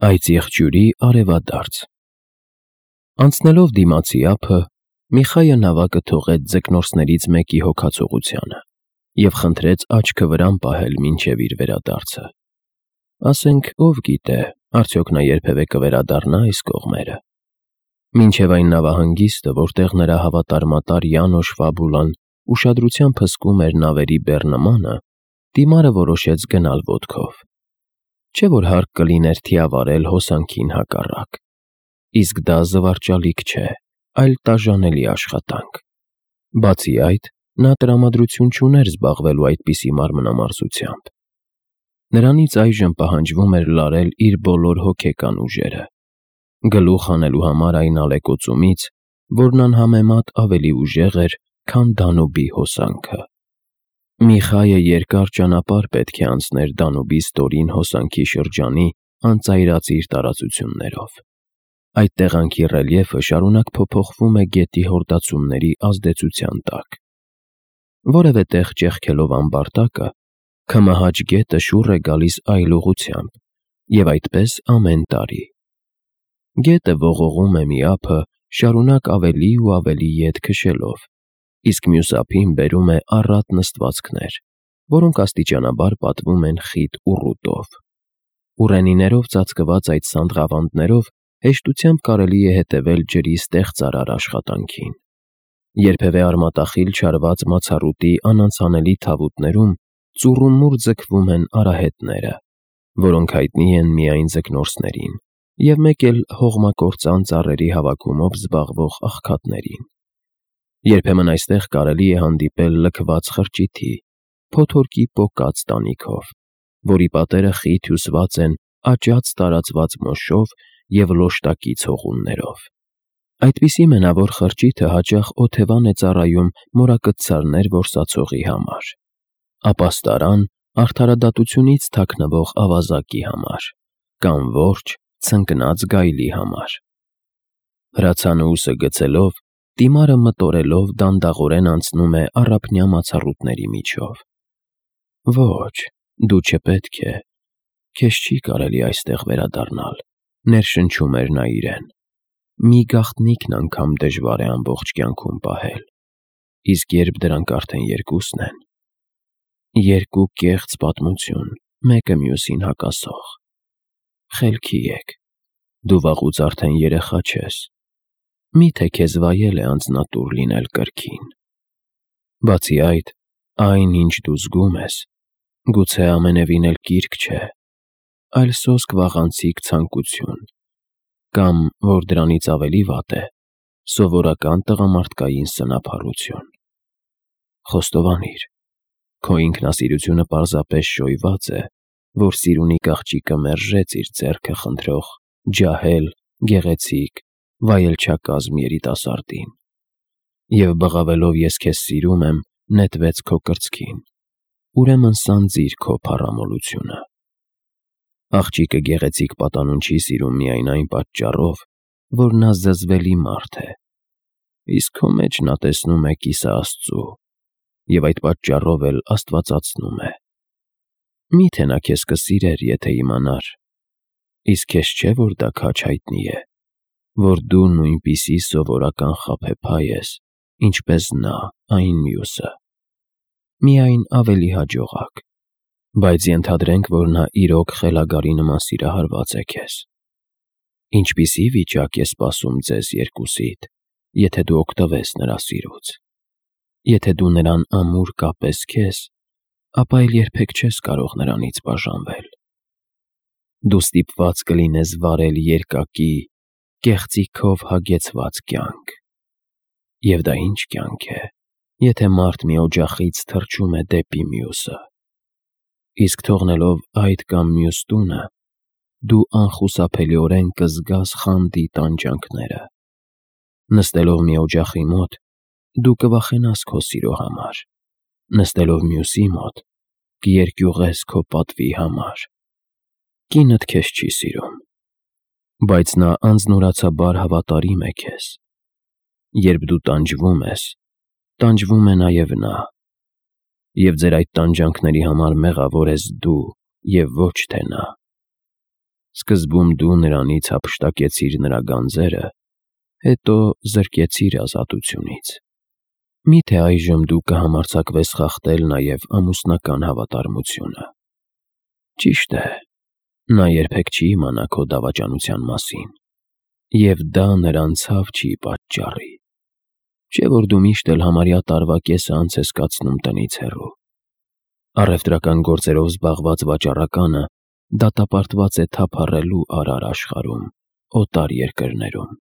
Այծ եղջյուրի արևադարձ։ Անցնելով դիմացի ափը, Միխայը նավակը թողեց ձկնորսներից մեկի հոգացողությանը և խնդրեց աչքը վրան պահել մինչև իր վերադարձը։ Ասենք ով գիտե, արդյոք նա երբևէ կվերադառնա այս կողմերը։ Մինչև այն նավահանգիստը, որտեղ նրա հավատարմատար Յանոշ Ֆաբուլան ուշադրությամբ հսկում էր նավերի բեռնմանը, դիմարը որոշեց գնալ ոտքով։ Չէ՞ որ հարկ կլիներ թիավարել հոսանքին հակառակ։ Իսկ դա զվարճալիք չէ, այլ տաժանելի աշխատանք։ Բացի այդ, նա տրամադրություն չուներ զբաղվելու այդպիսի մարմնամարզությամբ։ Նրանից այժմ պահանջվում էր լարել իր բոլոր հոգեկան ուժերը, գլուխ հանելու համար այն ալեկոծումից, որն անհամեմատ ավելի ուժեղ էր, քան Դանուբի հոսանքը։ Միխայը երկար ճանապարհ պետք է անցներ Դանուբի ստորին հոսանքի շրջանի անծայրածիր տարածություններով։ Այդ տեղանքի ռելիեֆը շարունակ փոփոխվում է գետի հորդացումների ազդեցության տակ։ Որևէ տեղ ճեղքելով ամբարտակը, Քմահաճ գետը շուռ է գալիս այլ ուղղությամբ, և այդպես ամեն տարի։ Գետը ողողում է մի ափը, շարունակ ավելի ու ավելի ետ քշելով, իսկ մյուս ափին բերում է առատ նստվածքներ, որոնք աստիճանաբար պատվում են խիտ ուռուտով։ Ուռենիներով ծածկված այդ սանդղավանդներով հեշտությամբ կարելի է հետևել ջրի ստեղծարար աշխատանքին։ Երբևէ արմատախիլ չարված մացառուտի անանցանելի թավուտներում ծուռումուռ ձգվում են արահետները, որոնք հայտնի են միայն ձկնորսներին, և մեկ էլ հողմակործան ծառերի հավաքումով զբաղվող աղքատներին։ Երբեմն այստեղ կարելի է հանդիպել լքված խրճիթի, փոթորկի պոկած տանիքով, որի պատերը խիտ հյուսված են աճած տարածված մոշով և լոշտակի ցողուններով։ Այդպիսի մենավոր խրճիթը հաճախ օթևան է ծառայում մորակցարներ որսացողի համար, ապաստարան արդարադատությունից թաքնվող ավազակի համար կամ որջ ցնկնած գայլի համար։ Հրացանուուսը գցելով, դիմարը մտորելով դանդաղորեն անցնում է առափնյա մացառուտների միջով։ Ոչ, դու չպետք է, քեզ չի կարելի այստեղ վերադառնալ, ներշնչում էր նա իրեն։ Մի գաղտնիքն անգամ դժվար է ամբողջ կյանքում պահել, իսկ երբ դրանք արդեն երկուսն են… Երկու կեղծ պատմություն, մեկը մյուսին հակասող։ Խելքի եք, դու վաղուց արդեն երեխա չես, մի՞թե քեզ վայել է անձնատուր լինել կրքին։ Բացի այդ, այն, ինչ դու զգում ես, գուցե ամենևին էլ կիրք չէ, այլ սոսկ վաղանցիկ ցանկություն, կամ, որ դրանից ավելի վատ է, սովորական տղամարդկային սնափառություն։ Խոստովանիր, քո ինքնասիրությունը պարզապես շոյված է, որ սիրունի աղջիկը մերժեց իր ձեռքը խնդրող, ջահել, գեղեցիկ, վայելչակազմ երիտասարդին, և բղավելով «ես քեզ սիրում եմ» նետվեց քո կրծքին, ուրեմն սանձիր քո փառամոլությունը։ Աղջիկը գեղեցիկ պատանուն չի սիրում միայն այն պատճառով, որ նա զզվելի մարդ է, իսկ քո մեջ նա տեսնում է կիսը Աստծու և այդ պատճառով էլ աստվածացնում է։ Մի՞թե նա քեզ կսիրեր, եթե իմանար… Իսկ քեզ չէ՞ որ դա քաջ հայտնի է, որ դու նույնպիսի սովորական խաբեբայ ես, ինչպես նա այն մյուսը, միայն ավելի հաջողակ, բայց ենթադրենք, որ նա իրոք խելագարի նման սիրահարված է քեզ։ Ինչպիսի՞ վիճակ է սպասում ձեզ երկուսիդ, եթե դու օգտվես նրա սիրուց։ Եթե դու նրան ամուր կապես քեզ, ապա էլ երբեք չես կարող նրանից բաժանվել։ Դու ստիպված կլինես վարել երկակի, կեղծիքով հագեցված կյանք։ Եվ դա ի՞նչ կյանք է, եթե մարդ մի օջախից թռչում է դեպի մյուսը։ Իսկ թողնելով այդ կամ մյուս տունը, դու անխուսափելիորեն կզգաս խանդի տանջանքները։ Նստելով մի օջախի մոտ, դու կվախենաս քո սիրո համար, նստելով մյուսի մոտ, կերկյուղես քո պատվի համար։ Կինդ քեզ չի սիրում, բայց նա անձնուրացաբար հավատարիմ է քեզ։ Երբ դու տանջվում ես, տանջվում է նաև նա, և ձեր այդ տանջանքների համար մեղավոր ես դու և ոչ թե նա։ Սկզբում դու նրանից հափշտակեցիր նրա գանձերը, հետո զրկեցիր ազատությունից։ Միթե այժմ դու կհամարձակվես խախտել նաև ամուսնական հավատարմությունը։ Ճիշտ է, նա երբեք չի իմանա քո դավաճանության մասին, և դա նրան ցավ չի պատճառի։ Չէ՞ որ դու միշտ էլ համարյա տարվա կեսը անց ես կացնում տնից հեռու։ Առևտրական գործերով զբաղված վաճառականը դատապարտված է թափառելու արար աշխարհում, օտար երկրներում,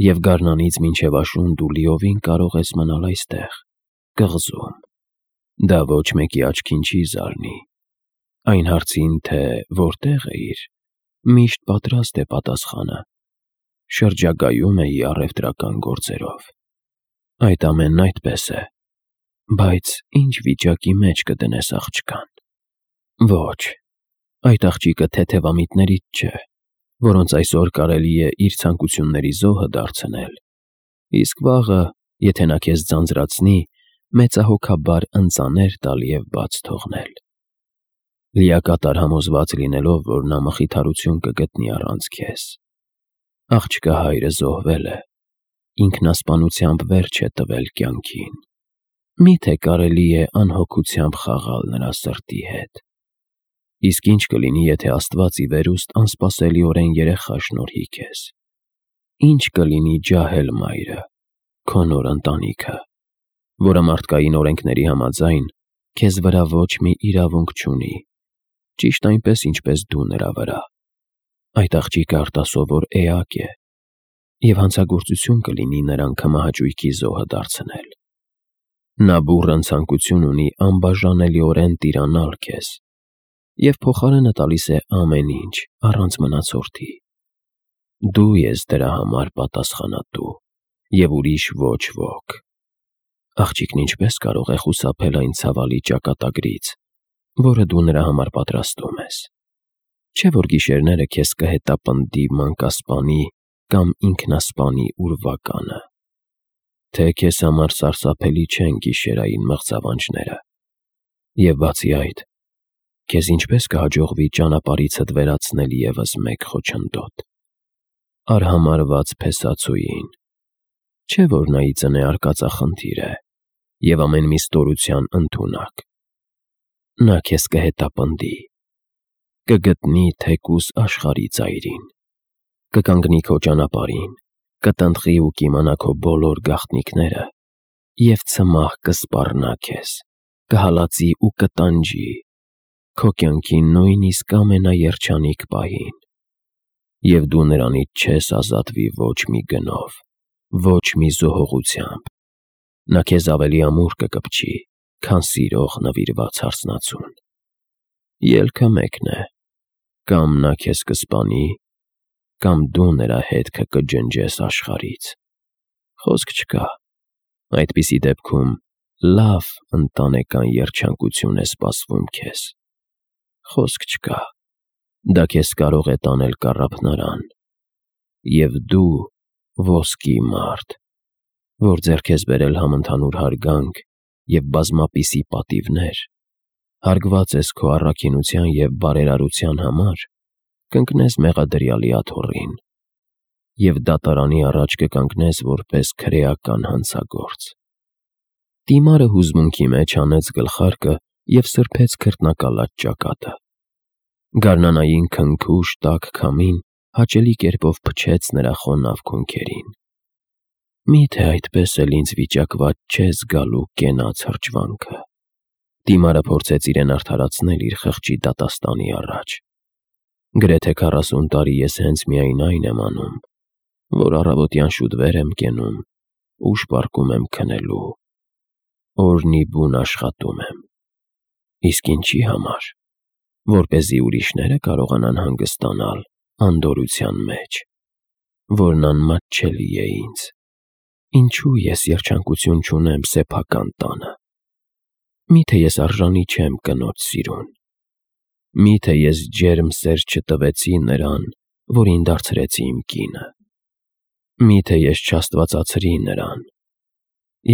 և գարնանից մինչև աշուն դու լիովին կարող ես մնալ այստեղ, կղզում։ Դա ոչ մեկի աչքին չի զարնի։ Այն հարցին, թե որտեղ էիր, միշտ պատրաստ է պատասխանը. շրջագայում էի առևտրական գործերով։ Այդ ամենն այդպես է, բայց ի՞նչ վիճակի մեջ կդնես աղջկան։ Ոչ, այդ աղջիկը թեթևամիտներից չէ, որոնց այսօր կարելի է իր ցանկությունների զոհը դարձնել, իսկ վաղը, եթե նա քեզ ձանձրացնի, մեծահոգաբար ընծաներ տալ և բաց թողնել։ Լիակատար համոզված լինելով, որ նա մխիթարություն կգտնի առանց քեզ։ Աղջկա հայրը զոհվել է, ինքնասպանությամբ վերջ է տվել կյանքին։ Միթե կարելի է անհոգությամբ խաղալ նրա սրտի հետ։ Իսկ ինչ կլինի, եթե Աստված ի վերուստ անսպասելիորեն երեխա շնորհի քեզ։ Ինչ կլինի ջահել մայրը, քո նոր ընտանիքը, որը մարդկային օրենքների համաձայն քեզ վրա ոչ մի իրավունք չունի, ճիշտ այնպես, ինչպես դու նրա վրա։ Այդ աղջիկը արտասովոր էակ է, և հանցագործություն կլինի նրան քմահաճույքի զոհը դարձնել։ Նա բուռն ցանկություն ունի անբաժանելիորեն տիրանալ քեզ և փոխարենը տալիս է ամեն ինչ, առանց մնացորդի։ Դու ես դրա համար պատասխանատու, և ուրիշ ոչ ոք։ Աղջիկն ինչպես կարող է խուսափել այն ցավալի ճակատագրից, որը դու նրա համար պատրաստում ես։ Չէ՞ որ գիշերները քեզ կհետապնդի մանկասպանի կամ ինքնասպանի ուրվականը։ Թե քեզ համար սարսափելի չեն գիշերային մղձավանջները։ Եվ բացի այդ, քեզ ինչպես կհաջողվի ճանապարհիցդ վերացնել ևս մեկ խոչընդոտ՝ արհամարհված փեսացուին։ Չէ՞ որ նա ի ծնե արկածախնդիր է և ամեն մի ստորության ընդունակ։ Նա քեզ կհետապնդի, կգտնի թեկուզ աշխարհի ծայրին, կկանգնի քո ճանապարհին, կտնտղի ու կիմանա քո բոլոր գաղտնիքները և ցմահ կսպառնա քեզ, կհալածի ու կտանջի քո կյանքի նույնիսկ ամենաերջանիկ պահին։ Եվ դու նրանից չես ազատվի ոչ մի գնով, ոչ մի զոհողությամբ։ Նա քեզ ավելի ամուր կկպչի, քան սիրող նվիրված հարսնացուն։ Ելքը մեկն է. կամ նա քեզ կսպանի, կամ դու նրա հետքը կջնջես աշխարհից։ Խոսք չկա։ Այդպիսի դեպքում լավ ընտանեկան երջանկություն է սպասվում քեզ։ Խոսք չկա։ Դա քեզ կարող է տանել կառափնարան, և դու ոսկի մարդ, որ ձեռք ես բերել համընդհանուր հարգանք և բազմապիսի պատիվներ, հարգված ես քո առաքինության և բարերարության համար, կընկնես մեղադրյալի աթոռին և դատարանի առաջ կկանգնես որպես քրեական հանցագործ։ Դիմարը հուզմունքի մեջ հանեց գլխարկը և սրբեց քրտնակալած ճակատը։ Գարնանային քնքուշ տաք քամին հաճելի կերպով փչեց նրա խոնավ քունքերին։ Միթե այդպես էլ ինձ վիճակված չէ զգալու կենաց հրճվանքը։ Դիմարը փորձեց իրեն արդարացնել իր խղճի դատաստանի առաջ։ Գրեթե 40 տարի ես հենց միայն այն եմ անում, որ առավոտյան շուտ վեր եմ կենում, ուշ պառկում եմ քնելու, օրն ի բուն աշխատում եմ։ Իսկ ինչի համար։ Որպեսզի ուրիշները կարողանան հանգստանալ անդորրության մեջ, որն անմատչելի է ինձ։ Ինչու ես երջանկություն չունեմ սեփական տանը։ Միթե ես արժանի չեմ կնոջ սիրուն։ Միթե ես ջերմ սեր չտվեցի նրան, որին դարձրեցի իմ կինը։ Միթե ես չաստվածացրի նրան։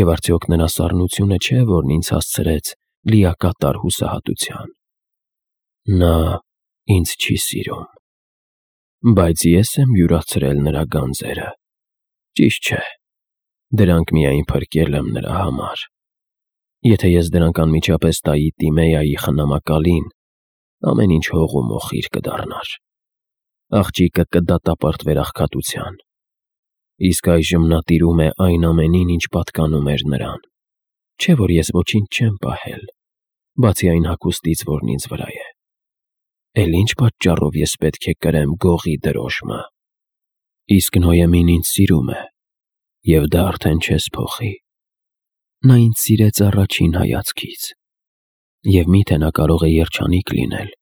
Եվ արդյոք նրա սառնությունը չէ, որն ինձ հասցրեց լիակատար հուսահատության։ Նա ինձ չի սիրում։ բայց ես եմ յուրացրել նրա գանձերը։ Ճիշտ չէ, դրանք միայն փրկել եմ նրա համար։ Եթե ես դրանք անմիջապես տայի Տիմեայի խնամակալին, ամեն ինչ հող ու մոխիր կդառնար։ Աղջիկը կդատապարտվեր աղքատության։ Իսկ այժմ նա տիրում է այն ամենին, ինչ պատկանում էր նրան։ Չէ՞ որ ես ոչինչ չեմ պահել, բացի այն հագուստից, որն ինձ վրա է։ Էլ ինչ պատճառով ես պետք է կրեմ գողի դրոշմը։ Իսկ Նոյեմին ինձ սիրում է, և դա արդեն չես փոխի։ Նա ինձ սիրեց առաջին հայացքից, և միթե նա կարող է երջանիկ լինել,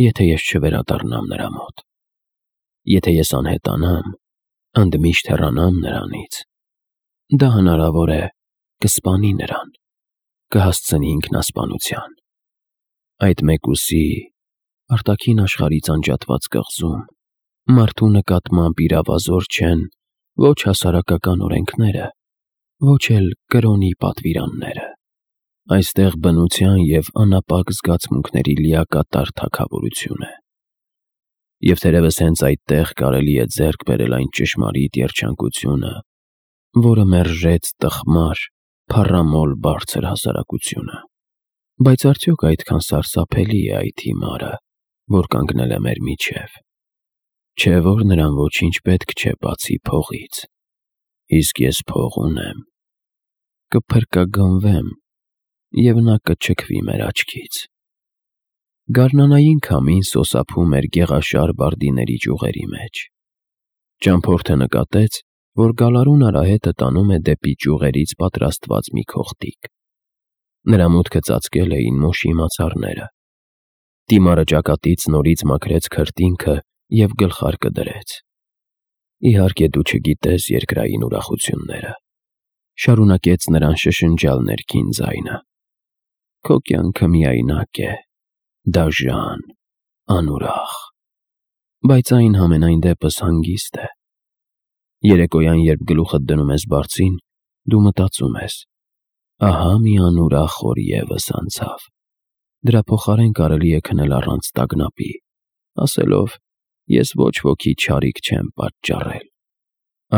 եթե ես չվերադառնամ նրա մոտ։ Եթե ես անհետանամ, ընդմիշտ հեռանամ նրանից, դա հնարավոր է կսպանի նրան, կհասցնի ինքնասպանության։ Այդ մեկուսի, արտաքին աշխարհից անջատված կղզում, մարդու նկատմամբ իրավազոր չեն ոչ հասարակական օրենքները, ոչ էլ կրոնի պատվիրանները։ Այստեղ բնության և անապակ զգացմունքների լիակատար թագավորություն է։ Եվ թերևս հենց այդտեղ կարելի է ձեռք բերել այն ճշմարիտ երջանկությունը, որը մերժեց տխմար, փառամոլ բարձր հասարակությունը։ Բայց արդյոք այդքան սարսափելի է այդ հիմարը, որ կանգնել է մեր միջև։ Չէ՞ որ նրան ոչինչ պետք չէ բացի փողից։ Իսկ ես փող ունեմ։ Կփրկագնվեմ, և նա կչքվի մեր աչքից։ Գարնանային քամին սոսափում էր գեղաշար բարդիների ճյուղերի մեջ։ Ճամփորդը նկատեց, որ գալարուն արահետը տանում է դեպի ճյուղերից պատրաստված մի քողտիկ։ Նրա մուտքը ծածկել էին մոշի մացառները։ Տիմարը ճակատից նորից մաքրեց քրտինքը և գլխարկը դրեց։ Իհարկե դու չգիտես երկրային ուրախությունները, շարունակեց նրան շշնջալ ներքին ձայնը։ Քո կյանքը միայնակ է, դաժան, անուրախ, բայց այն համենայն դեպս հանգիստ է։ Երեկոյան, երբ գլուխդ դնում ես բարձին, դու մտածում ես. ահա մի անուրախ օր ևս անցավ, դրա փոխարեն կարելի է քնել առանց տագնապի, ասելով. ես ոչ ոքի չարիք չեմ պատճառել։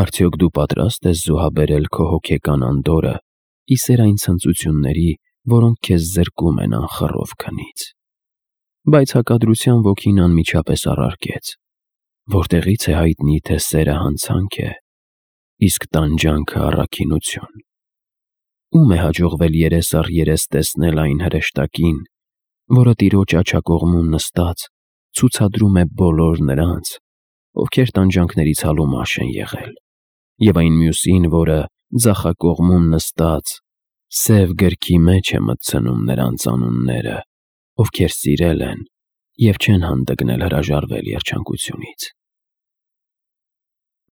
Արդյոք դու պատրաստ ես զոհաբերել քո հոգեկան անդորրը ի սեր այն ցնծությունների, որոնք քեզ զրկում են անխռով քնից։ Բայց հակադրության ոգին անմիջապես առարկեց. որտեղից է հայտնի, թե սերը հանցանք է, իսկ տանջանքը առաքինություն։ Ո՞ւմ է հաջողվել երես առ երես տեսնել այն հրեշտակին, որը տիրոջ աջակողմում նստած ցուցադրում է բոլոր նրանց, ովքեր տանջանքների ցալումաշ են եղել, և այն մյուսին, որը ձախակողմում նստած սև գրքի մեջ է մտցնում նրանց անունները, ովքեր սիրել են և չեն հանդգնել հրաժարվել երջանկությունից։